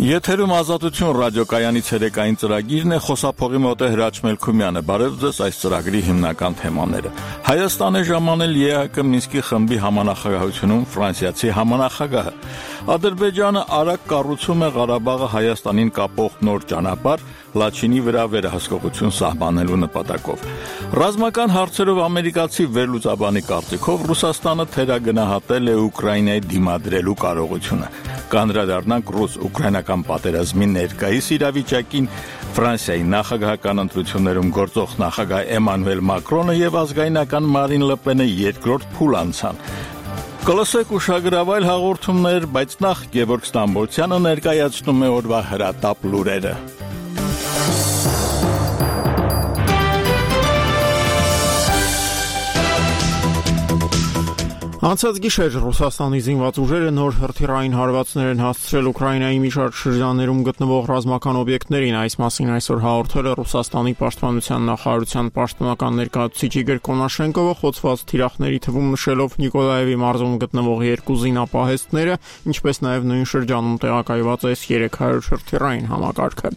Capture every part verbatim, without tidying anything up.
Եթերում Ազատություն ռադիոկայանի ցերեկային ծրագիրն է, խոսափողի մոտ է Հրաչ Մելքումյանը։ Բարև ձեզ, այս ծրագրի հիմնական թեմաները։ Հայաստան է ժամանել ԵԱՀԿ Մինսկի խմբի համանախագահությունում ֆրանսիացի համանախագահը։ Ադրբեջանը արագ կառուցում է Ղարաբաղը Հայաստանին կապող նոր ճանապարհ Լաչինի վրա վերահսկողություն սահմանելու նպատակով։ Ռազմական հարցերով ամերիկացի վերլուծաբանի կարծիքով Ռուսաստանը թերագնահատել է Ուկրաինայի դիմադրելու կարողությունը։ Կանդրադառնանք ռուս-ուկրաինական պատերազմի ներկայիս իրավիճակին, Ֆրանսիայի նախագահական ընտրություններում գործող նախագահ Էմանուել Մակրոնը եւ ազգայնական Մարին Լեպենը երկրորդ փուլ անցան։ Կլսեք ուշագրավայր հաղորդումներ, բայց նախ Գևորգ Ստամբոլցյանը ներկայացնում է օրվա հրատապ լուրերը։ Անցած գիշեր Ռուսաստանի զինված ուժերը նոր հրթիռային հարվածներ են հասցրել Ուկրաինայի մի շարք շրջաններում գտնվող ռազմական օբյեկտներին։ Այս մասին այսօր հաղորդել է Ռուսաստանի պաշտպանության նախարարության պաշտոնական ներկայացուցիչ Իգոր Կոնաշենկովը, խոցված թիրախների թվում նշելով Նիկոլաևի մարզում գտնվող երկու զինապահեստները, ինչպես նաև նույն շրջանում տեղակայված էս երեք հարյուր հրթիռային համակարգը։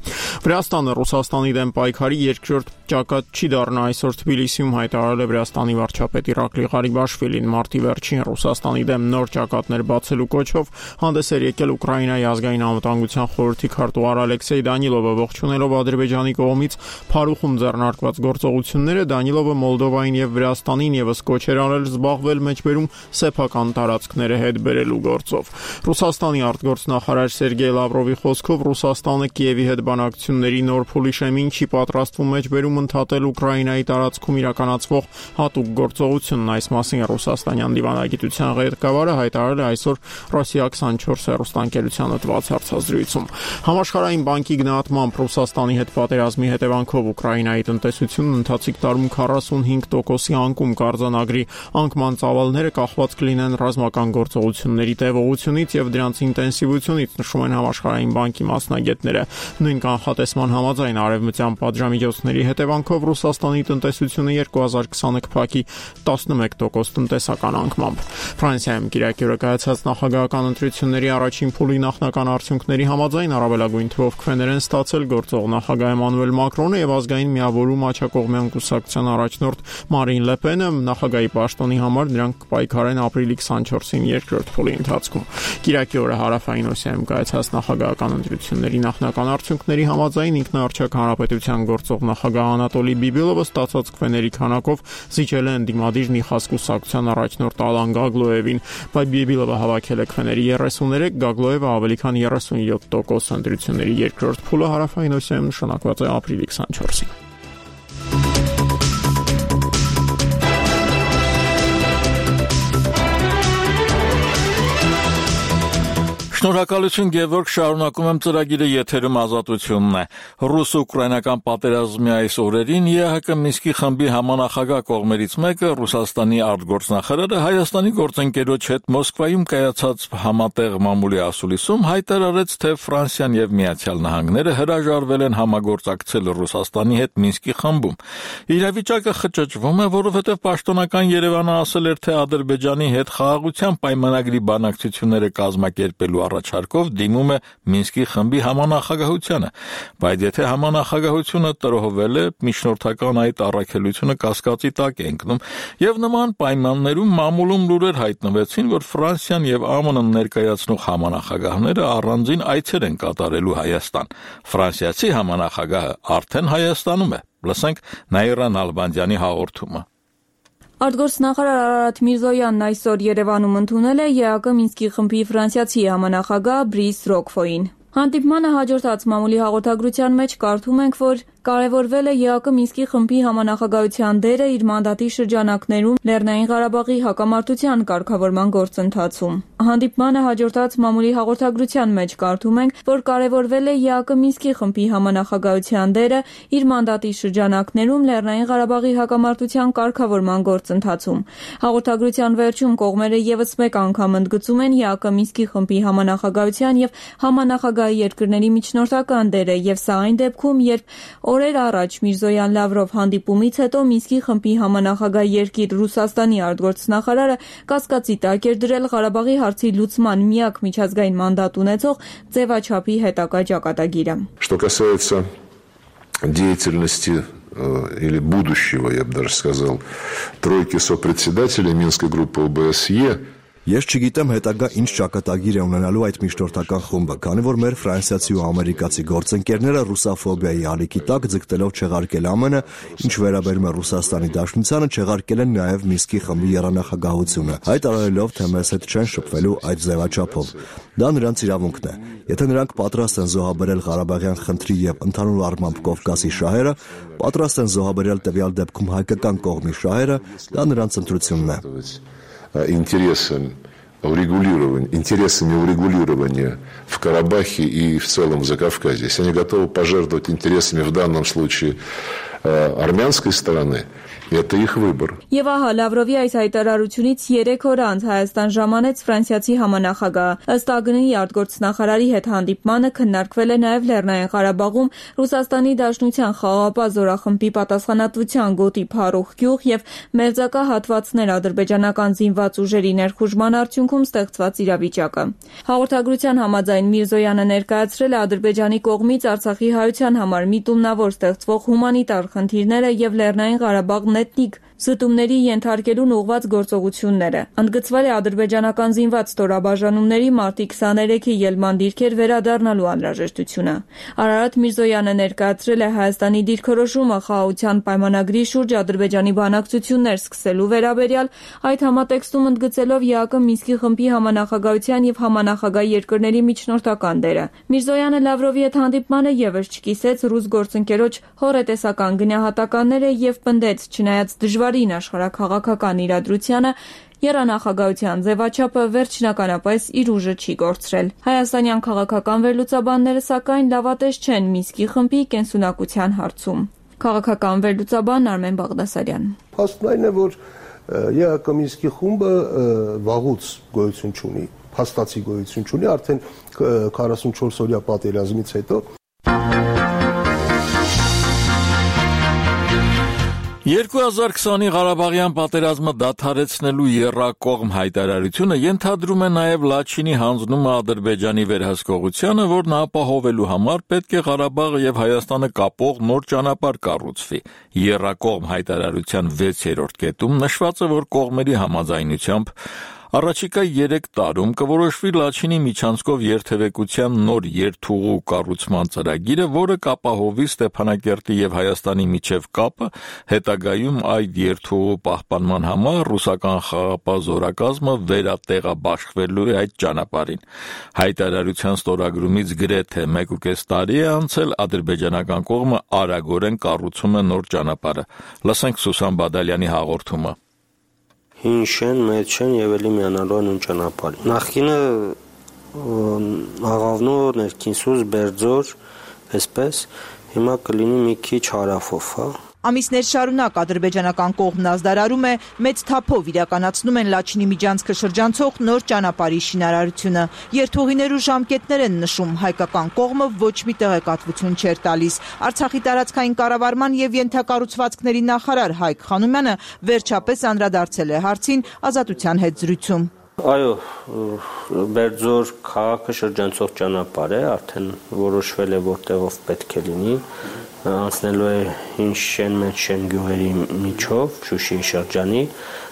Վրաստանը Ռուսաստանի դեմ պայքարի երկրորդ ճակատ չի դառնա, այսօր Թբիլիսիում հայտարարել է Վրաստանի վարչապետ Իրակլի Ղարիբաշվիլին։ Մարտի վերջին Ռուսաստանի դեմ նոր ճակատներ բացելու կոչով հանդես էր եկել Ուկրաինայի ազգային անվտանգության խորհրդի քարտուղար Ալեքսեյ Դանիլովը, ողջունելով Ադրբեջանի կողմից Փարուխում ձեռնարկված գործողությունները, Դանիլովը Մոլդովային եւ Վրաստանին եւս կոչ էր արել զբաղվել մեջբերում սեփական տարածքները հետ բերելու գործով։ Ռուսաստանի արտգործնախարար Սերգեյ Լավրովի խոսքով Ռուսաստանը Կիևի հետ բանակցությունների նոր փուլի շեմին չի պատրաստվում մեջբերում ընդհատել Ուկրաինայի տարածքում իրականացվող հատուկ գործողությունն։ Այս մասին Ռուսաստանյան դիվանագիտության ղեկավարը հայտարարել է այսօր Ռոսիա քսանչորս հեռուստաընկերությանը տված հարցազրույցում։ Համաշխարհային բանկի գնահատմամբ Ռուսաստանի հետ պատերազմի հետևանքով Ուկրաինայի տնտեսությունն ընթացիկ տարում քառասունհինգ տոկոսի անկում կարձանագրի, անկման ծավալները կախված կլինեն ռազմական գործողությունների տևողությունից եւ դրանց ինտենսիվությունից, նշում են Համաշխարհային բանկի մասնագետները։ Նույն կանխատեսման համաձայն արևմտյան պատժամիջոցների հետևանքով Ռուսաստանի տնտեսությունը երկու հազար քսանը կփակի տասնմեկ տոկոս տնտեսական անկմամբ։ Ֆրանսիայում կիրակի օրը կայացած նախագահական ընտրությունների առաջին փուլի նախնական արդյունքների համաձայն առավելագույն թվով քվեներ են ստացել գործող նախագահ Էմանուել Մակրոնը եւ ազգային միավորում աջակողմյան կուսակցության առաջնորդ Մարին Լեպենը։ Նախագահի պաշտոնի համար նրանք կպայքարեն ապրիլի քսանչորսին երկրորդ փուլի ընթացքում։ Կիրակի օրը Հարավային Օսիայում կայացած նախագահական ընտրությունների նախնական արդյունքների համաձայն ինքնաարչակ հանրապետության գործող նախագահ Անատոլի Բիբիլովը ստացած քվեների քանակով զիջել է ընդդիմադիր Նիխաս կուսակցության առաջնորդ Ալան Գագլոևին, բայց Բիբիլովը հավաքել է քվեների երեսուններեք, Գագլոևը ավելի քան երեսունյոթ տոկոս։ Ընտրությունների երկրորդ փուլը Հարավային Օսիայում նշանակված է ապրիլի քսանչորսին։ Շնորհակալություն Գևորգ, շարունակում եմ ծրագիրը, եթերում Ազատությունն է։ Ռուս-ուկրաինական պատերազմի այս օրերին ԵԱՀԿ Մինսկի խմբի համանախագահ կողմերից մեկը, Ռուսաստանի արտգործնախարարը, Հայաստանի գործընկերոջ հետ Մոսկվայում կայացած համատեղ մամուլի ասուլիսում հայտարարեց, թե Ֆրանսիան եւ Միացյալ Նահանգները հրաժարվել են համագործակցել Ռուսաստանի հետ Մինսկի խմբում։ Իրավիճակը խճճվում է, որովհետեւ պաշտոնական Երևանը ասել էր, թե Ադրբեջանի հետ խաղաղության պայմանագրի բանակցությունները կազմակերպելու առաջարկով դիմում է Մինսկի խմբի համանախագահությանը, բայց եթե համանախագահությունը տրոհվել է, միջնորդական այդ առաքելությունը կասկածի տակ է ընկնում, եւ նման պայմաններում մամուլում լուրեր հայտնվեցին, որ Ֆրանսիան եւ ԱՄՆ-ն ներկայացնող համանախագահները առանձին այցեր են կատարելու Հայաստան։ Ֆրանսիացի համանախագահը արդեն Հայաստանում է։ Լսենք Նաիրա Նալբանդյանի հաղորդումը։ Արտգործնախարար Արարատ Միրզոյանն այսօր Երևանում ընդունել է ԵԱՀԿ Մինսկի խմբի ֆրանսիացի համանախագահ Բրիս Ռոկֆոին։ Հանդիպմանը հաջորդած մամուլի հաղորդագրության մեջ կարդում ենք, որ կարևորվել է ԵԱՀԿ Մինսկի խմբի համանախագահության դերը իր մանդատի շրջանակներում Լեռնային Ղարաբաղի հակամարտության կարգավորման գործընթացում։ Հանդիպմանը հաջորդած մամուլի հաղորդագրության մեջ կարդում ենք, որ կարևորվել է ԵԱՀԿ Մինսկի խմբի համանախագահության դերը իր մանդատի շրջանակներում Լեռնային Ղարաբաղի հակամարտության կարգավորման գործընթացում։ Հաղորդագրության վերջում կողմերը եւս մեկ անգամ ընդգծում են ԵԱՀԿ Մինսկի խմբի համանախագահության եւ համանախագահի երկրների միջնորդական դերը, եւ սա այն դեպքում, երբ Օրեր առաջ Միրզոյան Լավրով հանդիպումից հետո Մինսկի խմբի համանախագահ երկիր Ռուսաստանի արտգործնախարարը կասկածի տակ էր դրել Ղարաբաղի հարցի լուծման միակ միջազգային մանդատ ունեցող ձևաչափի հետագա ճակատագիրը։ Что касается деятельности или будущего, я бы даже сказал, тройки сопредседателей Минской группы ОБСЕ. Ես չգիտեմ հետագա ինչ ճակատագիր է ունենալու այդ միջնորդական խումբը, քանի որ մեր ֆրանսիացի ու ամերիկացի գործընկերները ռուսաֆոբիայի ալիքի տակ ձգտելով չեղարկել ԱՄՆ-ը, ինչ վերաբերում է Ռուսաստանի Դաշնությանը, չեղարկել են նաև Մինսկի խմբի եռանախագահությունը, հայտարարելով, թե մեզ հետ չեն շփվելու այդ ձևաչափով։ Դա նրանց իրավունքն է։ Եթե նրանք պատրաստ են զոհաբերել Ղարաբաղյան խնդրի եւ ընդհանուր առմամբ Կովկասի շահերը, պատրաստ են զոհաբերել տվյալ դեպքում հայկական կողմի շահերը, դա նրանց ընտրությունն է։ Интересам урегулирования, интересами урегулирования в Карабахе и в целом в Закавказье. Если они готовы пожертвовать интересами в данном случае армянской стороны, это их выбор. Եվ ահա Լավրովի այս հայտարարությունից երեք օր անց Հայաստան ժամանեց ֆրանսիացի համանախագահ ըստ ԱԳՆ-ի արտգործնախարարի հետ հանդիպմանը քննարկվել է նաև Լեռնային Ղարաբաղում Ռուսաստանի Դաշնության խաղաղապահ զորախմբի պատասխանատվության գոտի փառուխ գյուղ եւ մերձակա հատվածներ ադրբեջանական զինված ուժերի ներխուժման արդյունքում ստեղծված իրավիճակը։ Հաղորդագրության համաձայն Միրզոյանը ներկայացրել է Ադրբեջանի կողմից Արցախի հայության համար միտումնավոր ստեղծվող հումանիտար խնդիրները եւ Լեռնային Ղարաբաղ էթնիկ զտումների ենթարկելուն ուղղված գործողությունները։ Ընդգծվել է ադրբեջանական զինված ստորաբաժանումների մարտի քսաներեքի ելման դիրքեր վերադառնալու անհրաժեշտությունը։ Արարատ Միրզոյանը ներկայացրել է Հայաստանի դիրքորոշումը խաղաղության պայմանագրի շուրջ Ադրբեջանի բանակցություններ սկսելու վերաբերյալ, այդ համատեքստում ընդգծելով ԵԱԿ Մինսկի խմբի համանախագահության եւ համանախագահ երկրների միջնորդական դերը։ Միրզոյանը Լավրովի հետ հանդիպմանը եւս չկիսեց ռուս գործընկերոջ հոռետեսական գնահատականները եւ պնդեց, չնայած դժվարին աշխարհաքաղաքական իրադրությանը, եռանախագահության ձևաչափը վերջնականապես իր ուժը չի կորցրել։ Հայաստանյան քաղաքական վերլուծաբանները սակայն լավատես չեն Մինսկի խմբի կենսունակության հարցում։ Քաղաքական վերլուծաբան Արմեն Բաղդասարյան։ Փաստն այն է, որ ԵԱԿ Մինսկի խումբը վաղուց գոյություն չունի, փաստացի գոյություն չունի, արդեն քառասունչորս օրյա պատերազմից հետո։ երկու հազար քսանի Ղարաբաղյան պատերազմը դադարեցնելու եռակողմ հայտարարությունը ենթադրում է նաև Լաչինի հանձնումը Ադրբեջանի վերահսկողությանը, որն ապահովելու համար պետք է Ղարաբաղը եւ Հայաստանը կապող նոր ճանապարհ կառուցվի։ Եռակողմ հայտարարության վեցերորդ կետում նշված է, որ կողմերի համաձայնությամբ Առաջիկա երեք տարում կորոշվի Լաչինի միջանցքով երթևեկության նոր երթուղու կառուցման ծրագիրը, որը կապահովի Ստեփանակերտի եւ Հայաստանի միջև կապը, հետագայում այդ երթուղու պահպանման համար ռուսական խաղաղապահ զորակազմը վերատեղաբաշխվելու է այդ ճանապարհին։ Հայտարարության ստորագրումից գրեթե մեկուկես տարի է անցել, ադրբեջանական կողմը արագորեն կառուցում է նոր ճանապարհը։ Լսենք Սուսան Բադալյանի հաղորդումը։ Հին շեն, մեծ շեն եւ էլի միանալու են ուն ճանապարհի։ Նախկինը աղավնու ներքինսուս Բերձոր, այսպես, հիմա կլինի մի քիչ հարավով, հա։ Ամիսներ շարունակ ադրբեջանական կողմն ազդարարում է, մեծ թափով իրականացնում են Լաչինի միջանցքը շրջանցող նոր ճանապարհի շինարարությունը։ Երթուղիներ ու ժամկետներ են նշում, հայկական կողմը ոչ մի տեղեկատվություն չէր տալիս։ Արցախի տարածքային կառավարման եւ ենթակառուցվածքների նախարար Հայկ Խանոմյանը վերջապես անդրադարձել է հարցին Ազատության հետ զրույցում։ Այո, Բերձոր քաղաքը շրջանցող ճանապարհ է, արդեն որոշվել է որտեղով պետք է լինի, անցնելու է հին շեն, մեծ շեն գյուղերի միջով, Շուշիի շրջանի,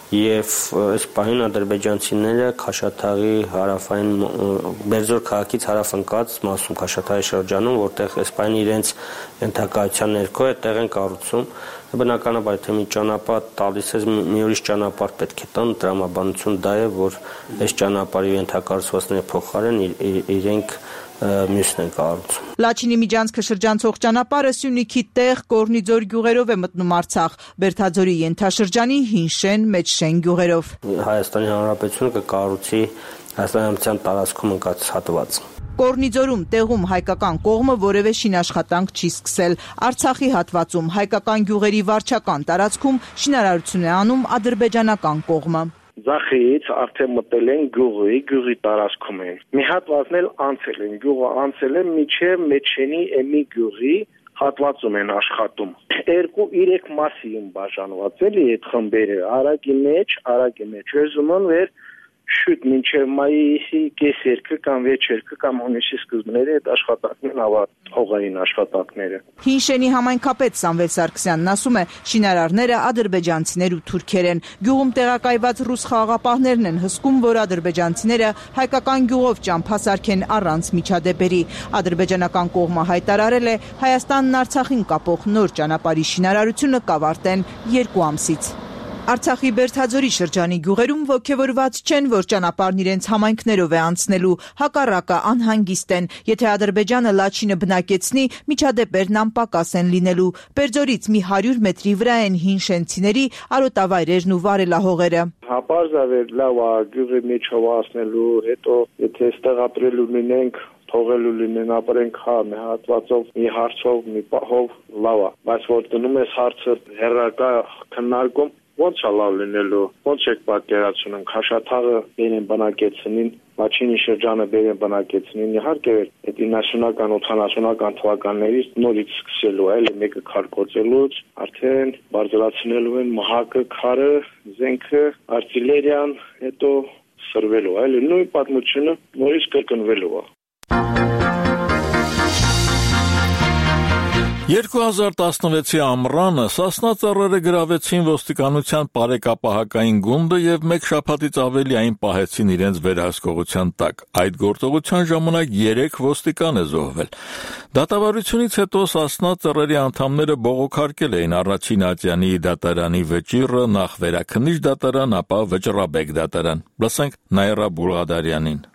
եւ այս պահին ադրբեջանցիները Քաշաթաղի հարավային Բերձոր քաղաքից հարավ ընկած մասում Քաշաթաղի շրջանում, որտեղ այս պահին իրենց ենթակայության ներքո այդտեղ են կառուցում, բնականաբար թե մի ճանապարհ տալիս է, մի ուրիշ ճանապարհ պետք է տան, տրամաբանություն դա է, որ այս ճանապարհի ենթակառուցվածքների փոխարեն իրենք մյուսն են կառուցում։ Լաչինի միջանցքը շրջանցող ճանապարհը Սյունիքի տեղ Կորնիձոր գյուղերով է մտնում Արցախ, Բերթաձորի ենթաշրջանի հին շեն, մեծ շեն գյուղերով։ Հայաստանի Հանրապետությունը կկառուցի Հայաստանյան տարածքում ընկած հատված։ Կորնիձորում տեղում հայկական կողմը որևէ շինաշխատանք չի սկսել։ Արցախի հատվածում հայկական գյուղերի վարչական տարածքում շինարարություն է անում ադրբեջանական կողմը։ Ձախից արդեն մտել են գյուղի, գյուղի տարածքում են։ Մի հատվածն էլ անցել են, գյուղը անցել է միջև Մեջշենի Էմի գյուղի հատվածում են աշխատում։ Երկու երեք մասի են բաժանված էլի այդ խմբերը, արագի մեջ, արագի մեջ ուզում վեր շուտ մինչև մայիսի կեսերքը կամ վեճերքը կամ հունիսի սկզբները այդ աշխատանքներն ավարտվեն, հողային աշխատանքները։ Հինշենի համայնքապետ Սամվել Սարգսյանն ասում է, շինարարները ադրբեջանցիներ ու թուրքեր են։ Գյուղում տեղակայված ռուս խաղաղապահներն են հսկում, որ ադրբեջանցիները հայկական գյուղով ճամփասարք են առանց միջադեպերի։ Ադրբեջանական կողմը հայտարարել է, Հայաստանն Արցախին կապող նոր ճանապարհի շինարարությունը կավարտեն երկու ամսից։ Արցախի Բերդաձորի շրջանի գյուղերում ոգևորված չեն, որ ճանապարհն իրենց համայնքներով է անցնելու, հակառակը անհանգիստ են։ Եթե Ադրբեջանը Լաչինը բնակեցնի, միջադեպերն անպակաս են լինելու։ Բերձորից մի հարյուր մետրի վրա են հինշենցիների արոտավայրերն ու վարելահողերը։ Հապարզավեր լավ է գյուղի միջով անցնելու, հետո եթե այստեղ ապրելու լինենք թողելու լինեն ապրենք հա մի հատվածով, մի հարցով, մի պահով լավ է, բայց որ դնում ես հարցը հեռակա քննարկում ոնց է լավ լինելու, ոնց եք պատկերացնում, Քաշաթաղը բերեն բնակեցնին, Լաչինի շրջանը բերեն բնակեցնին, իհարկե այդ իննասունական ութանասունական թվականներից նորից սկսելու, այլ մեկը քարկոծելուց, արդեն բարձրացնելու են մահակը, քարը, զենքը, արտիլերիան, հետո սրվելու, այլ նույն պատմությունը նորից կրկնվելու է։ երկու հազար տասնվեցի ամռանը Սասնա ծառերը գրավեցին ոստիկանության բարեկապահական գունդը եւ մեկ շաբաթից ավելի այն պահեցին իրենց վերահսկողության տակ։ Այդ գործողության ժամանակ երեք ոստիկան է զոհվել։ Դատավարությունից հետո Սասնա ծառերի անդամները բողոքարկել էին առաջին ատյանի դատարանի վճիռը, նախ վերաքննիչ դատարան, ապա վճռաբեկ դատարան։ Լսենք Նաիրա Բուլղադարյանին։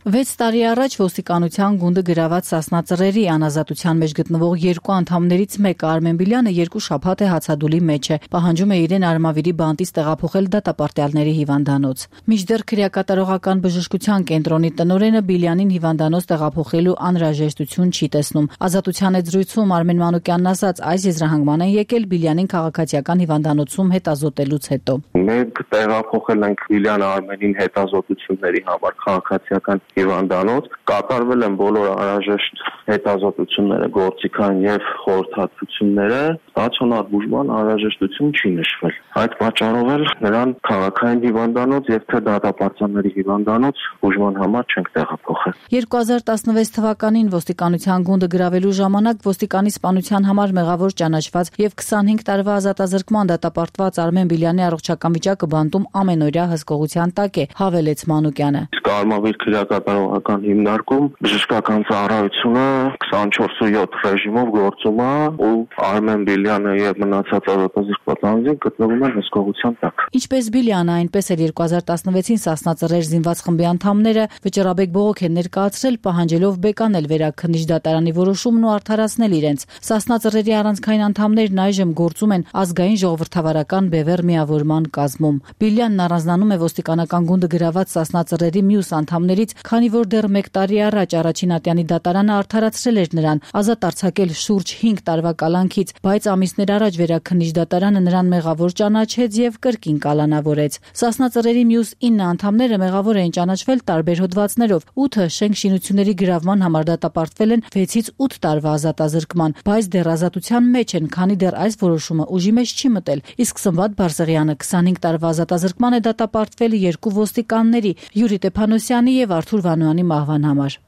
Վեց տարի առաջ ոստիկանության գունդը գրաված Սասնա ծռերի անազատության մեջ գտնվող երկու անդամներից մեկը Արմեն Բիլյանը երկու շաբաթ է հացադուլի մեջ է, պահանջում է իրեն Արմավիրի բանտից տեղափոխել դատապարտյալների հիվանդանոց։ Մինչդեռ քրեակատարողական բժշկության կենտրոնի տնօրենը Բիլյանին հիվանդանոց տեղափոխելու անհրաժեշտություն չի տեսնում։ Ազատության այդ զրույցում Արմեն Մանուկյանն ասաց, այս եզրահանգման են եկել Բիլյանին քաղաքացիական հիվանդանոցում հետազոտելուց հետո։ Մենք տեղափոխել ենք Բիլյանը Արմենին հետազոտությունների համար քաղաքացիական հիվանդանոց, կատարվել են բոլոր անհրաժեշտ հետազոտությունները, գործիքային եւ խորհրդատվությունները, ստացիոնար բուժման անհրաժեշտություն չի նշվել։ Այդ պատճառով էլ նրան քաղաքային հիվանդանոց եւ թե դատապարտյալների հիվանդանոց բուժման համար չենք տեղափոխել։ երկու հազար տասնվեց թվականին ոստիկանության գունդը գրավելու ժամանակ ոստիկանի սպանության համար մեղավոր ճանաչված եւ քսանհինգ տարվա ազատազրկման դատապարտված Արմեն Բիլյանի առողջական վիճակը բանտում ամենօրյա հսկողության տակ է, հավելեց Մանուկյանը։ Արմավիր քրեակատարողական հիմնարկում բժշկական ծառայությունը քսանչորս յոթ ռեժիմով գործում է ու Արմեն Բիլյանը եւ մնացած ազատազրկված անձինք գտնվում են հսկողության տակ։ Ինչպես Բիլյանը, այնպես էլ երկու հազար տասնվեցին Սասնա ծռեր զինված խմբի անդամները վճռաբեկ բողոք են ներկայացրել, պահանջելով բեկանել վերաքննիչ դատարանի որոշումն ու արդարացնել իրենց։ Սասնա ծռերի առանցքային անդամներն այժմ գործում են ազգային ժողովրդավարական բևեռ միավորման կազմում։ Բիլյանն առանձնանում է ոստիկանական գունդը գրաված Սասնա ծռերի մյուս անդամներից, քանի որ դեռ մեկ տարի առաջ առաջին ատյանի դատարանը արդարացրել էր նրան, ազատ արձակել շուրջ հինգ տարվա կալանքից, բայց ամիսներ առաջ վերաքննիչ դատարանը նրան մեղավոր ճանաչեց եւ կրկին կալանավորեց։ Սասնա ծռերի մյուս ինը անդամները մեղավոր էին ճանաչվել տարբեր հոդվածներով, ութը շենք շինությունների գրավման համար դատապարտվել են վեցից ութ տարվա ազատազրկման, բայց դեռ ազատության մեջ են, քանի դեռ այս որոշումը ուժի մեջ չի մտել։ Իսկ Սմբատ Բարսեղյանը քսանհինգ տարվա ազատազրկման է դատապարտվել երկու ոստիկանների՝ Յուրի Տեփանոսյանի եւ Արթուր Վանոյանի մահվան համար։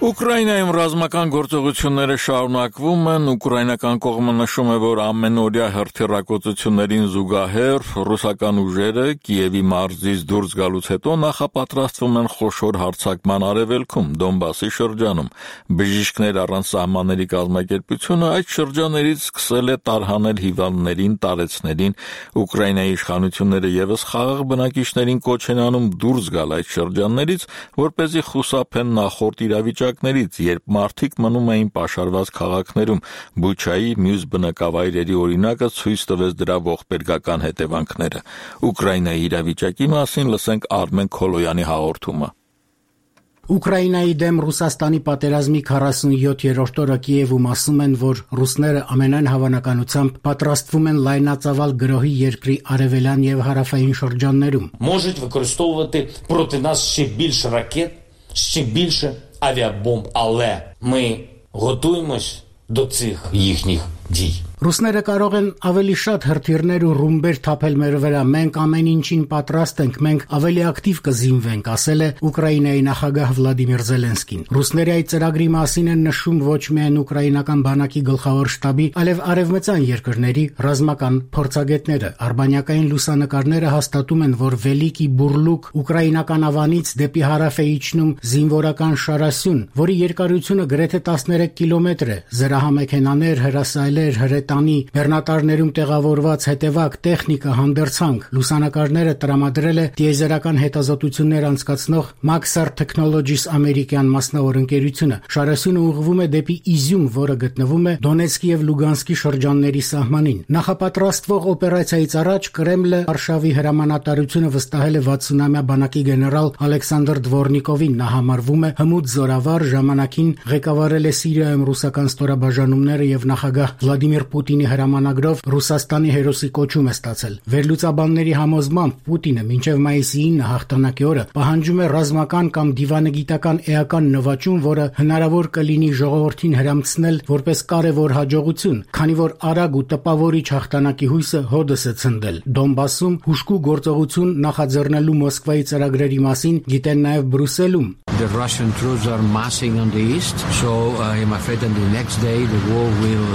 Ուկրաինայում ռազմական գործողությունները շարունակվում են, ուկրաինական կողմը նշում է, որ ամենօրյա հրթիռակոծություններին զուգահեռ ռուսական ուժերը Կիևի մարզից դուրս գալուց հետո նախապատրաստվում են խոշոր հարձակման արևելքում, Դոնբասի շրջանում։ Բժիշկներ առանց սահմանների կազմակերպությունը այդ շրջաններից սկսել է տարհանել հիվանդներին, տարեցներին, Ուկրաինայի իշխանությունները եւս խաղաղ բնակիչներին կոչ են անում դուրս գալ այդ շրջաններից, որպեսզի խուսափեն նախորդ իրավիճակներից, երբ մարդիկ մնում էին պաշարված քաղաքներում։ Բուչայի մյուս բնակավայրերի օրինակը ցույց տվեց դրա ողբերգական հետևանքները։ Ուկրաինայի իրավիճակի մասին լսենք Արմեն Քոլոյանի հաղորդումը։ Ուկրաինայի դեմ Ռուսաստանի պատերազմի քառասունյոթերորդ օրը Կիևում ասում են, որ ռուսները ամենայն հավանականությամբ պատրաստվում են լայնածավալ գրոհի երկրի արևելյան եւ հարավային շրջաններում։ Можуть використовувати проти нас ще більше ракет, ще більше авіабомб, але ми готуємось до цих їхніх дій. Ռուսները կարող են ավելի շատ հրթիռներ ու ռումբեր թափել մեր վրա, մենք ամեն ինչին պատրաստ ենք, մենք ավելի ակտիվ կզինվենք, ասել է Ուկրաինայի նախագահ Վլադիմիր Զելենսկին։ Ռուսների այդ ծրագրի մասին են նշում ոչ միայն ուկրաինական բանակի գլխավոր շտաբի, այլև արևմտյան երկրների ռազմական փորձագետները։ Արբանյակային լուսանկարները հաստատում են, որ Վելիկի Բուրլուկ ուկրաինական ավանից դեպի հարավ է իջնում զինվորական շարասյուն, որի երկարությունը գրեթե տասներեք կիլոմետր է։ Զրահամեքենաներ, հրասայլեր, հրետ Տանի բեռնատարներում տեղավորված հետևակ տեխնիկա հանդերձանք լուսանկարները տրամադրել է տիեզերական հետազոտություններ անցկացնող Maxar Technologies ամերիկյան մասնավոր ընկերությունը։ Շարասյունը ուղղվում է դեպի Իզյում, որը գտնվում է Դոնեցկի եւ Լուգանսկի շրջանների սահմանին։ Նախապատրաստվող օպերացիայից առաջ Կրեմլը Վարշավի հրամանատարությունը վստահել է վաթսունամյա բանակի գեներալ Ալեքսանդր Դվորնիկովին։ Նա համարվում է հմուտ զորավար, ժամանակին ղեկավարել է Սիրիայում ռուսական ստորաբաժանումները եւ նախագահ Վլադիմիր Պուտինի հրամանագրով Ռուսաստանի հերոսի կոչում է ստացել։ Վերլուծաբանների համոզմամբ Պուտինը մինչև մայիսի ինը հաղթանակի օրը պահանջում է ռազմական կամ դիվանագիտական էական նվաճում, որը հնարավոր կլինի ժողովրդին հրամցնել որպես կարևոր հաջողություն, քանի որ արագ ու տպավորիչ հաղթանակի հույսը հօդս է ցնդել։ Դոնբասում հուժկու գործողություն նախաձեռնելու Մոսկվայի ծրագրերի մասին գիտեն նաև Բրյուսելում։ The Russian troops are massing on the east, so I am afraid that the next day the war will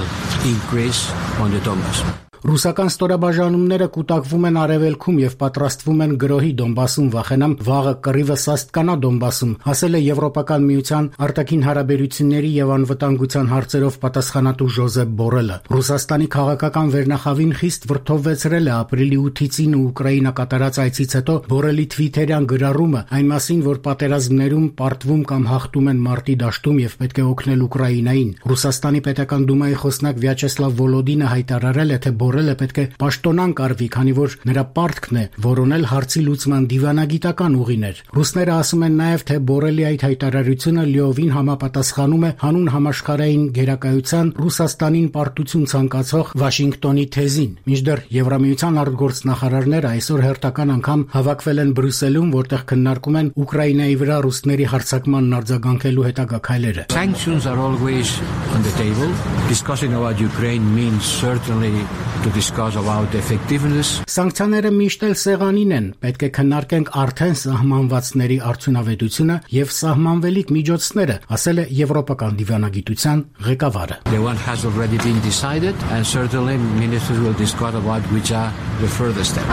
increase on the Donbass. Ռուսական ստորաբաժանումները կուտակվում են արևելքում եւ պատրաստվում են գրոհի Դոնբասում, վախենամ վաղը կռիվը սաստկանա Դոնբասում, ասել է Եվրոպական միության արտաքին հարաբերությունների եւ անվտանգության հարցերով պատասխանատու Ժոզեփ Բորելը։ Ռուսաստանի քաղաքական վերնախավին խիստ վրդովվեցրել է ապրիլի ութից ինը Ուկրաինա կատարած այցից հետո Բորելի թվիթերյան գրառումը այն մասին, որ պատերազմներում պարտվում կամ հաղթում են մարտի դաշտում եւ պետք է օգնել Ուկրաինային։ Ռուսաստանի պետական դումայի խոսնակ Վյաչեսլավ Վոլոդինը հայտարարել է, թե Բորելը պետք է պաշտոնան կարվի, քանի որ նրա պարտքն է որոնել հարցի լուծման դիվանագիտական ուղիներ։ Ռուսները ասում են նաև, թե Բորելի այդ հայտարարությունը լիովին համապատասխանում է հանուն համաշխարհային գերակայության Ռուսաստանին պարտություն ցանկացող Վաշինգտոնի թեզին։ Մինչդեռ Եվրամիության արտգործնախարարները այսօր հերթական անգամ հավաքվել են Բրյուսելում, որտեղ քննարկում են Ուկրաինայի վրա ռուսների հարձակմանն արձագանքելու հետագա քայլերը։ Sanctions are always on the table. Discussing about Ukraine means certainly to discuss about the effectiveness. Սանկցիաները միշտ էլ սեղանին են, պետք է քննարկենք արդեն սահմանվածների արդյունավետությունը եւ սահմանվելիք միջոցները, ասել է Եվրոպական դիվանագիտության ղեկավարը։ The one has already been decided and certainly ministers will discuss about which are the further steps.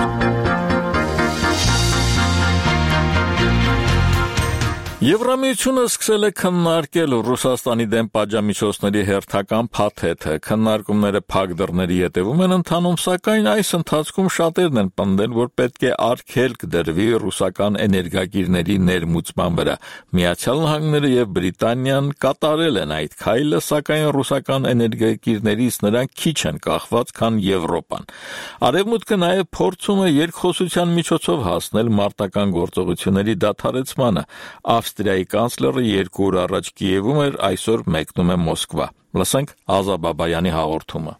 Եվրամիությունը սկսել է քննարկել Ռուսաստանի դեմ պատժամիջոցների հերթական փաթեթը։ Քննարկումները փակ դռների ետևում են ընթանում, սակայն այս ընթացքում շատերն են պնդել, որ պետք է արգելք դրվի ռուսական էներգակիրների ներմուծման վրա։ Միացյալ Նահանգները եւ Բրիտանիան կատարել են այդ քայլը, սակայն ռուսական էներգակիրներից նրանք քիչ են կախված, քան Եվրոպան։ Արևմուտքը նաև փորձում է երկխոսության միջոցով հասնել մարտական գործողությունների դադարեցմանը։ Ավստրիայի կանցլերը երկու օր առաջ Կիևում էր, այսօր մեկնում է Մոսկվա։ Լսենք Ազա Բաբայանի հաղորդումը։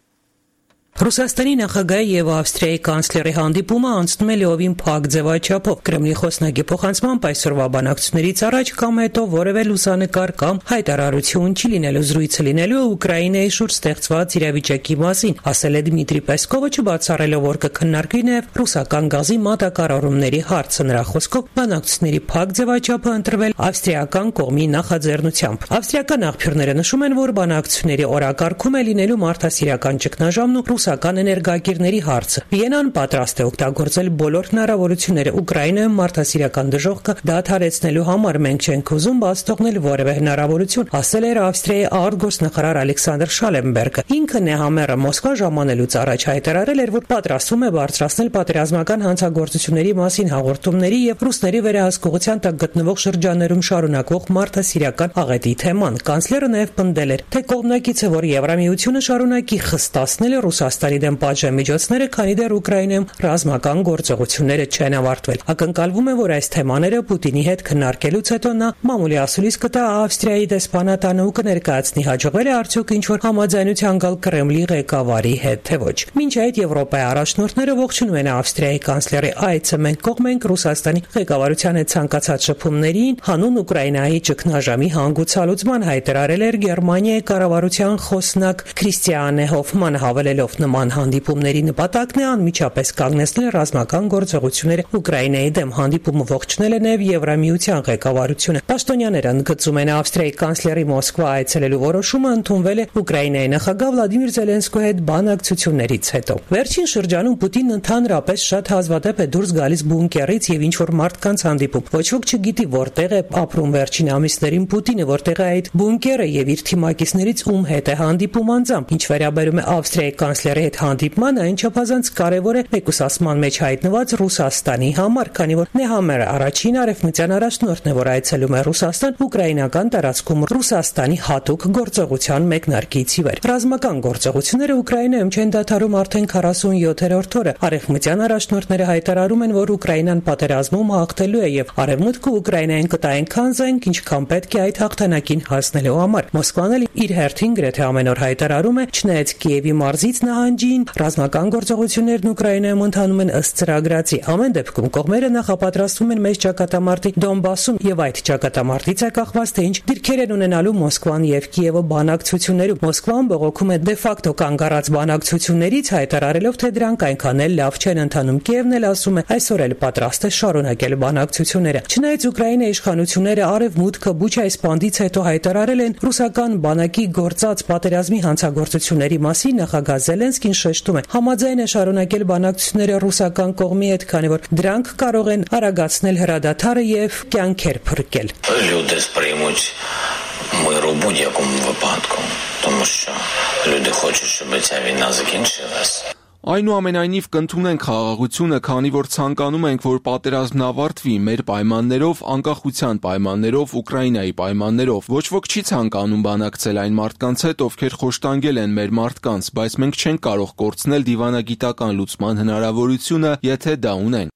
Ռուսաստանի նախագահի եւ Ավստրիայի կանցլերի հանդիպումը անցնում է լիովին փակ ձևաչափով։ Կրեմլի խոսնակի փոխանցմամբ այսօրվա բանակցություններից առաջ կամ հետո որևէ լուսանկար կամ հայտարարություն չի լինելու, զրույցը լինելու Ուկրաինայի շուրջ ստեղծված իրավիճակի մասին, ասել է Դմիտրի Պեսկովը, չբացառելով, որ կքննարկվի նաեւ ռուսական գազի մատակարարումների հարցը։ Նրա խոսքով բանակցությունների փակ ձևաչափը ընտրվել ավստրիական կողմի նախաձեռնությամբ։ Ավստրիական աղբյուրները նշում են, որ բանակցությունների օրակարգում է լինելու մարդասիրական ճգնաժամն ու ռուսական էներգակիրների հարցը։ Վիենան պատրաստ է օգտագործել բոլոր հնարավորությունները Ուկրաինայում մարդասիրական դժոխքը դադարեցնելու համար։ Մենք չենք ուզում բաց թողնել որևէ հնարավորություն, ասել էր Ավստրիայի արտգործնախարար Ալեքսանդր Շալենբերգը։ Ինքը նեհամերը Մոսկվա ժամանելուց առաջ հայտարարել էր, որ պատրաստվում է բարձրացնել պատերազմական հանցագործությունների մասին հաղորդումների եւ ռուսների վերահսկողության տակ գտնվող շրջաններում շարունակվող մարդասիրական աղետի թեման։ Կանցլերը նաեւ պնդել էր, թե կողմնակից է, որ Եվրամիությունը շարունակի խստացնել Ռուսաստանի Ռուսաստանի դեմ պատժամիջոցները, քանի դեռ Ուկրաինայում ռազմական գործողությունները չեն ավարտվել։ Ակնկալվում է, որ այս թեմաները Պուտինի հետ քննարկելուց հետո նա մամուլի ասուլիս կտա Ավստրիայի դեսպանատանը ու կներկայացնի հաջողել է արդյոք ինչ-որ համաձայնության գալ Կրեմլի ղեկավարի հետ, թե ոչ։ Մինչ այդ Եվրոպայի առաջնորդները ողջունում են Ավստրիայի կանցլերի այցը մենք կողմ ենք Ռուսաստանի ղեկավարության հետ ցանկացած շփումներին, հանուն Ուկրաինայի ճգնաժամի հանգուցալուծման հայտարարել էր Գերմանիայի կառավարության խոսնակ Քրիստիանե Հոֆմանը, հավելելով նման հանդիպումների նպատակն է անմիջապես կանգնեցնել ռազմական գործողությունները Ուկրաինայի դեմ։ Հանդիպումը ողջունել է նաև Եվրամիության ղեկավարությունը։ Պաշտոնյաները ընդգծում են Ավստրիայի կանցլերի Մոսկվա այցելելու որոշումը ընդունվել է Ուկրաինայի նախագահ Վլադիմիր Զելենսկոյի հետ բանակցություններից հետո։ Վերջին շրջանում Պուտինն ընդհանրապես շատ հազվադեպ է դուրս գալիս բունկերից եւ ինչ-որ մարդկանց հանդիպում։ Ոչ ոք չգիտի որտեղ է ապրում վերջին ամիսներին Պուտինը, որտեղ է այդ բունկերը եւ իր թիմակիցներից ում հետ է հանդիպում անձամբ։ Ինչ վերաբերում է Ավստրիայի կանցլերի հետ հանդիպմանը, այն չափազանց կարեւոր է մեկուսացման մեջ հայտնված Ռուսաստանի համար, քանի որ Նեհամերը առաջին արևմտյան առաջնորդն է, որ այցելում է Ռուսաստան ուկրաինական տարածքում Ռուսաստանի հատուկ գործողության մեկնարկից ի վեր։ Ռազմական գործողությունները Ուկրաինայում չեն դադարում արդեն քառասունյոթերորդ օրը։ Արևմտյան առաջնորդները հայտարարում են, որ Ուկրաինան պատերազմում հաղթելու է եւ Արևմուտքը Ուկրաինային կտա այնքան զենք, ինչքան պետք է այդ հաղթանակին հասնելու համար։ Մոսկվան էլ իր հերթին գրեթե ամեն օր հայտարարում է, չնայած Կիևի մարզից նահանջին, ռազմական գործողություններն Ուկրաինայում ընթանում են ըստ ծրագրացի։ Ամեն դեպքում կողմերը նախապատրաստվում են մեծ ճակատամարտի Դոնբասում եւ այդ ճակատամարտից է կախված, թե ինչ դիրքեր են ունենալու Մոսկվան եւ Կիևը բանակցություններում։ Մոսկվան բողոքում է դե ֆակտո կանգ առած բանակցություններից, հայտարարելով, թե դրանք այնքան էլ լավ չեն ընթանում։ Կիևն էլ ասում է, այսօր էլ պատրաստ է շարունակել բանակցությունները։ Չնայած Ուկրաինայի իշխանությունները Արևմուտքը Բուչայի սպանդից հետո հայտարարել են ռուսական բանակի գործած պատերազմի հանցագործությունների մասին, նախագահ Զելենսկին շեշտում է, համաձայն է շարունակել բանակցությունները ռուսական կողմի հետ, քանի որ դրանք կարող են արագացնել հրադադարը եւ կյանքեր փրկել։ Люди сприймуть мир у будь-якому випадку, тому що люди хочуть, щоб ця війна закінчилась. Այնուամենայնիվ կընդունենք խաղաղությունը, քանի որ ցանկանում ենք, որ պատերազմն ավարտվի մեր պայմաններով, անկախության պայմաններով, Ուկրաինայի պայմաններով։ Ոչ ոք չի ցանկանում բանակցել այն մարդկանց հետ, ովքեր խոշտանգել են մեր մարդկանց, բայց մենք չենք կարող կորցնել դիվանագիտական լուծման հնարավորությունը, եթե դա ունենք։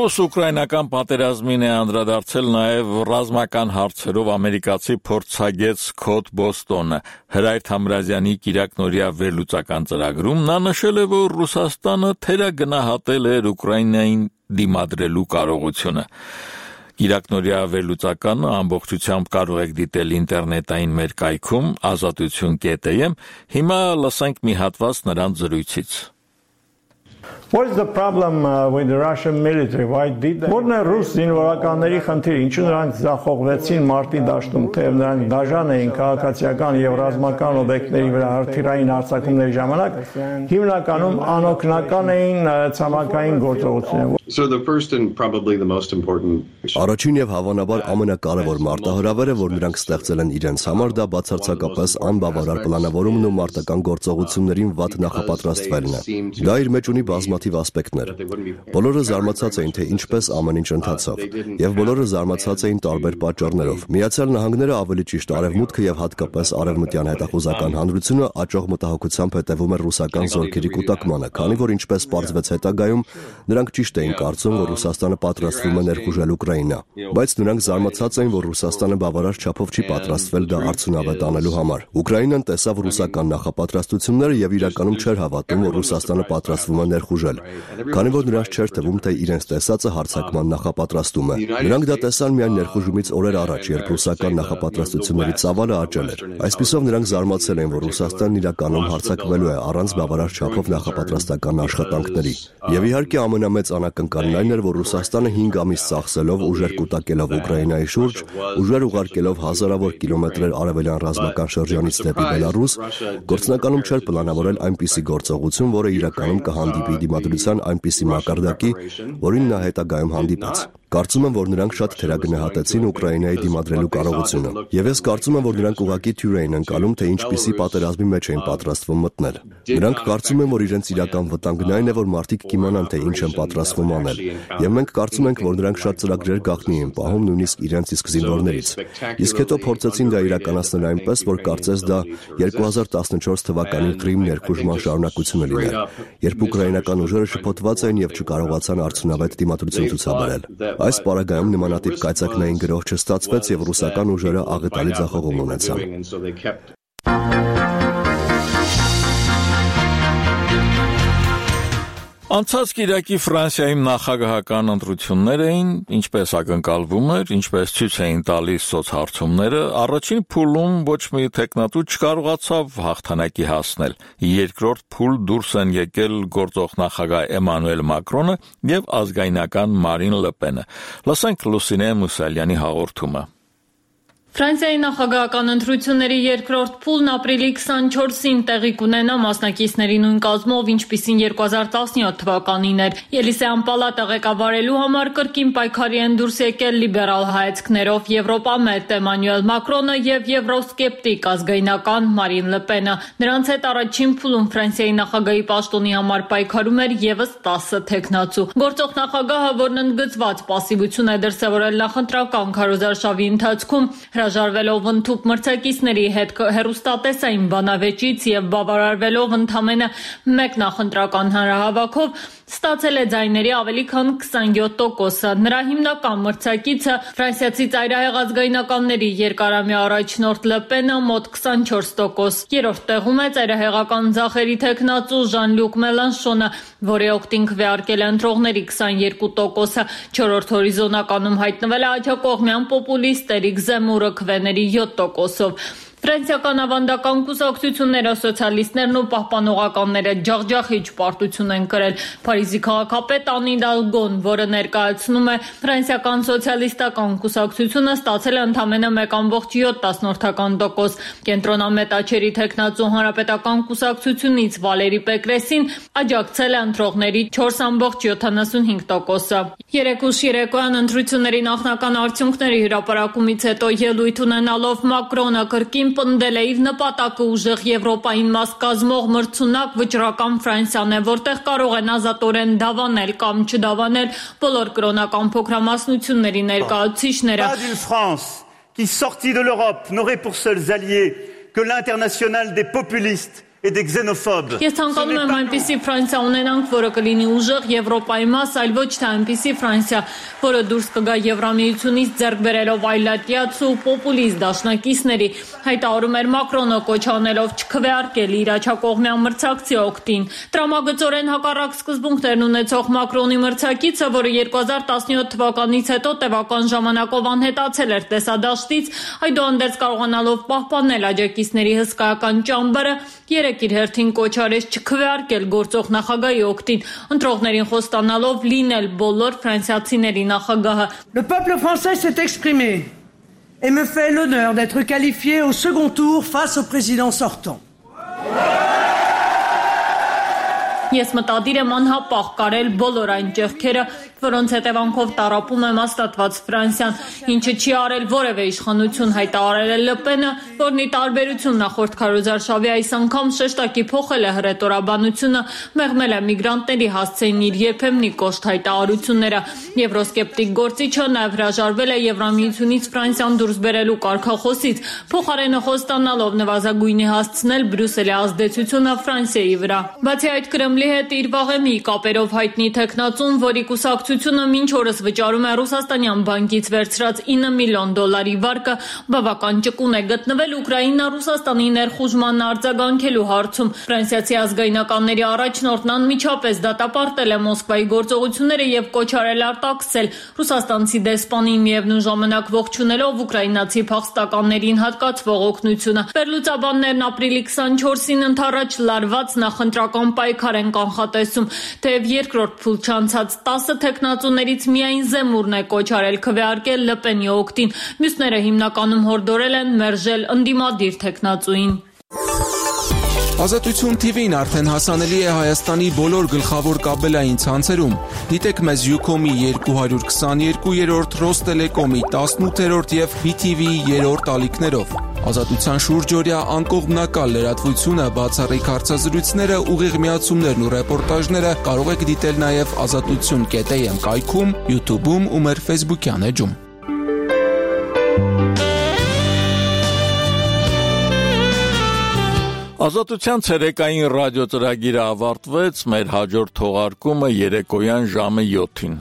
Ռուս-ուկրաինական պատերազմին է անդրադարձել նաև ռազմական հարցերով ամերիկացի փորձագետ Սքոթ Բոստոնը։ Հրայր Թամրազյանի Կիրակնօրյա վերլուծական ծրագրում նա նշել է, որ Ռուսաստանը թերագնահատել է Ուկրաինային դիմադրելու կարողությունը։ Կիրակնօրյա վերլուծականը ամբողջությամբ կարող եք դիտել ինտերնետային մեր կայքում ազատություն կետ էմ։ Հիմա լսենք մի հատված նրանց զրույցից։ What is the problem uh, with the Russian military? Why did they? Որն է ռուս զինվորականների խնդիրը, ինչու նրանք ձախողվեցին մարտի դաշտում, թեև նրանք դաժան էին քաղաքացիական եւ ռազմական օբյեկտների վրա հրթիռային հարձակումների ժամանակ, հիմնականում անօգնական էին ցամաքային գործողությունները։ So the first and probably the most important Առաջին եւ հավանաբար ամենակարևոր մարտահրավերը, որ նրանք ստեղծել են իրենց համար, դա բացարձակապես անբավարար պլանավորումն ու մարտական գործողություններին վատ նախապատրաստվելն է։ Դա իր մեջ ունի բազմաթիվ ասպեկտներ։ Բոլորը զարմացած էին, թե ինչպես ամեն ինչ ընթացավ, եւ բոլորը զարմացած էին տարբեր պատճառներով։ Միացյալ Նահանգները, ավելի ճիշտ Արևմուտքը եւ հատկապես արևմտյան հետախուզական հանրությունը աճող մտահոգությամբ հետևում էր ռուսական զորքերի կուտակմանը, քանի որ ինչպես պարզվեց հետագայում, նրանք ճիշտ էին կարծում, որ Ռուսաստանը պատրաստվում է ներխուժել Ուկրաինա, բայց նրանք զարմացած էին, որ Ռուսաստանը բավարար չափով չի պատրաստվել դա արդյունավետ անելու համար։ Ուկրաինան տեսավ ռուսական նախապատրաստությունները եւ իրականում չէր հավատում, որ Ռուսաստանը պատրաստվում է ներխուժել, քանի որ նրանց չէր թվում, թե իրենց տեսածը հարձակման նախապատրաստում է։ Նրանք դա տեսան միայն ներխուժումից օրեր առաջ, երբ ռուսական նախապատրաստությունների ծավալը աճել էր։ Այսպիսով նրանք զարմացել են, որ Ռուսաստանն իրականում հարձակվելու է առանց բավարար չափով նախապատրաստական աշխատանքների։ Եվ իհարկե ամենամեծ անակնկալն այն էր, որ Ռուսաստանը հինգ ամիս ծախսելով ուժեր կուտակելով Ուկրաինայի շուրջ, ուժեր ուղարկելով հազարավոր կիլոմետրեր արևելյան ռազմական շրջանից դեպի Բելարուս, գործնականում չէր պլանավորել այնպիսի գործողություն, որը իրականում կհանդիպի դիմադրության այնպիսի մակարդակի, որին նա հետագայում հանդիպեց։ Կարծում եմ, որ նրանք շատ թերագնահատեցին Ուկրաինայի դիմադրելու կարողությունը։ Եվ ես կարծում եմ, որ նրանք ուղղակի թյուր էին ընկալում, թե ինչպիսի պատերազմի մեջ էին պատրաստվում մտնել։ Նրանք կարծում են, որ իրենց իրական վտանգն այն է, որ մարդիկ կիմանան, թե ինչ են պատրաստվում անել։ Եվ մենք կարծում ենք, որ նրանք շատ ծրագրեր գաղտնի են պահում նույնիսկ իրենց իսկ զինվորներից։ Իսկ հետո փորձեցին դա իրականացնել այնպես, որ կարծես դա երկու հազար տասնչորս թվականի Կրիմ ներխուժման շարունակությունը լիներ, երբ ուկրաինական ուժերը շփոթված էին եւ չկարողացան արդյունավետ դիմադրություն ցուցաբերել։ Այս պարագայում նմանատիպ կայծակնային գրոհ չստացվեց եւ ռուսական ուժերը աղետալի ձախողում ունեցան։ Անցած կիրակի Ֆրանսիայում նախագահական ընտրություններ էին, ինչպես ակնկալվում էր, ինչպես ցույց էին տալիս սոցհարցումները, առաջին փուլում ոչ մի տեխնատու չկարողացավ հաղթանակի հասնել։ Երկրորդ փուլ դուրս են եկել գործող նախագահ Էմանուել Մակրոնը եւ ազգայնական Մարին Լը Պենը։ Լսենք Լուսինե Մուսալյանի հաղորդումը։ Ֆրանսիայի նախագահական ընտրությունների երկրորդ փուլն ապրիլի քսանչորսին տեղի կունենա մասնակիցների նույն կազմով, ինչպիսին երկու հազար տասնյոթ թվականին էր։ Ելիսեյան պալատը ղեկավարելու համար կրկին պայքարի են դուրս եկել լիբերալ հայացքներով Եվրոպամետ Էմանուել Մակրոնը եւ եվրոսկեպտիկ ազգայնական Մարին Լը Պենը։ Նրանց հետ առաջին փուլում Ֆրանսիայի նախագահի պաշտոնի համար պայքարում էր եւս տասը տեխնացու։ Գործող նախագահը, որն ընդգծված պասիվություն է դրսևորել նախընտրական քարոզարշավի ընթացքում, հրաժարվելով ընդཐུպ մրցակիցների հետ հեռուստատեսային բանավեճից եւ բավարարվելով ընդամենը մեկ նախընտրական հանրահավաքով, ստացել է ձայների ավելի քան քսանյոթ տոկոսը։ Նրա հիմնական մրցակիցը ֆրանսիացի ծայրահեղ ազգայնականների երկարամյա առաջնորդ Լը Պենը մոտ քսանչորս տոկոս։ Երրորդ տեղում է ծայրահեղական ձախերի տեխնացու Ժան-Լյուկ Մելանշոնը, որի օգտին քվեարկել է ընտրողների քսանյոթ տոկոսը։ Չորրորդ հորիզոնականում հայտնվել է աջակողմյան պոպուլիստ Էրիկ Զեմուրը քվեների յոթ տոկոսով։ Ֆրանսիական ավանդական կուսակցությունները, սոցիալիստներն ու պահպանողականները ջախջախիչ պարտություն են կրել։ Փարիզի քաղաքապետ Անի Դալգոն, որը ներկայացնում է ֆրանսիական սոցիալիստական կուսակցությունը, ստացել է ընդամենը մեկ ամբողջ յոթ տոկոս։ Կենտրոնամետ աչերի տեխնացու հանրապետական կուսակցությունից Վալերի Պեկրեսին աջակցել է ընտրողների չորս ամբողջ յոթանասունհինգ տոկոսը։ Երեկ ուշ երեկոյան ընտրությունների նախնական արդյունքների հրապարակումից հետո ելույթ ունենալով Մակրոնը կրկին պնդել է իր նպատակը ուժեղ Եվրոպային մաս կազմող մրցունակ վճռական Ֆրանսիան է, որտեղ կարող են ազատորեն դավանել կամ չդավանել բոլոր կրոնական փոքրամասնությունների ներկայացուցիչները։ Pas d'une France qui sortie de l'Europe n'aurait pour seuls alliés que l'international des populistes et des xénophobes. Ես ցանկանում եմ այնպիսի Ֆրանսիա ունենանք, որը կլինի ուժեղ Եվրոպայի մաս, այլ ոչ թե այնպիսի Ֆրանսիա, որը դուրս կգա Եվրամիությունից ձեռք բերելով այլատյաց ու պոպուլիստ դաշնակիցների, հայտարարում էր Մակրոնը, կոչ անելով չքվեարկել իր աջակողմյան մրցակցի օգտին։ Տրամագծորեն հակառակ սկզբունքներն ունեցող Մակրոնի մրցակիցը, որը երկու հազար տասնյոթ թվականից հետո տևական ժամանակով անհետացել էր տեսադաշտից, այդուհանդերձ կարողանալով պահպանել աջակիցների հսկայական ճամբարը, երեք իր հերթին կոչ արեց չքվեարկել գործող նախագահի օգտին, ընտրողներին խոստանալով լինել բոլոր ֆրանսիացիների նախագահը։ Le peuple français s'est exprimé et me fait l'honneur d'être qualifié au second tour face au président sortant. Ես մտադիր եմ անհապաղ կարել բոլոր այն ճեղքերը, որոնց հետևանքով տառապում է հաստատված Ֆրանսիան, ինչը չի արել որևէ իշխանություն, հայտարարել է Լը Պենը, որն ի տարբերություն նախորդ քարոզարշավի այս անգամ շեշտակի փոխել է հռետորաբանությունը, մեղմել է միգրանտների հասցեին իր երբեմնի կոշտ հայտարարությունները։ Եվրոսկեպտիկ գործիչը նաև հրաժարվել է Եվրամիությունից Ֆրանսիան դուրս բերելու կարգախոսից, փոխարենը խոստանալով նվազագույնի հասցնել Բրյուսելի ազդեցությունը Ֆրանսիայի վրա։ Բացի այդ, Կրեմլի հետ իր վաղեմի կապերով հայտնի տեխնացուն, որի կուսակցությունը մինչ օրս վճարում է ռուսաստանյան բանկից վերցրած ինը միլիոն դոլարի վարկը, բավական ճկուն է գտնվել Ուկրաինա Ռուսաստանի ներխուժման արձագանքելու հարցում։ Ֆրանսիացի ազգայնականների առաջնորդն անմիջապես դատապարտել է Մոսկվայի գործողությունները եւ կոչ արել արտաքսել ռուսաստանցի դեսպանին, միևնույն ժամանակ ողջունելով ուկրաինացի փախստականներին հատկացվող օգնությունը։ Վերլուծաբաններն ապրիլի քսանչորսին ընդառաջ լարված նախընտրական պայքար են կանխատեսում, թեև երկրորդ փուլ չանցած տասը տեխնացուներից միայն Զեմուրն է կոչ արել քվեարկել Լը Պենի օգտին, մյուսները հիմնականում հորդորել են մերժել ընդդիմադիր տեխնացուին։ Ազատություն թի վին արդեն հասանելի է Հայաստանի բոլոր գլխավոր կաբելային ցանցերում։ Դիտեք մեզ Ucom-ի երկու հարյուր քսաներկուերորդ, Ռոստելեկոմի տասնութերորդ եւ բի թի վիի երրորդ ալիքներով։ Ազատության շուրջօրյա անկողմնակալ լրատվությունը, բացառիկ հարցազրույցները, ուղիղ միացումներն ու ռեպորտաժները կարող եք դիտել նաեւ ազատություն կետ էյ էմ կայքում, YouTube-ում ու մեր Facebook-յան էջում։ Ազատության ցերեկային ռադիո ծրագիրը ավարտվեց, մեր հաջորդ թողարկումը երեկոյան ժամը յոթին։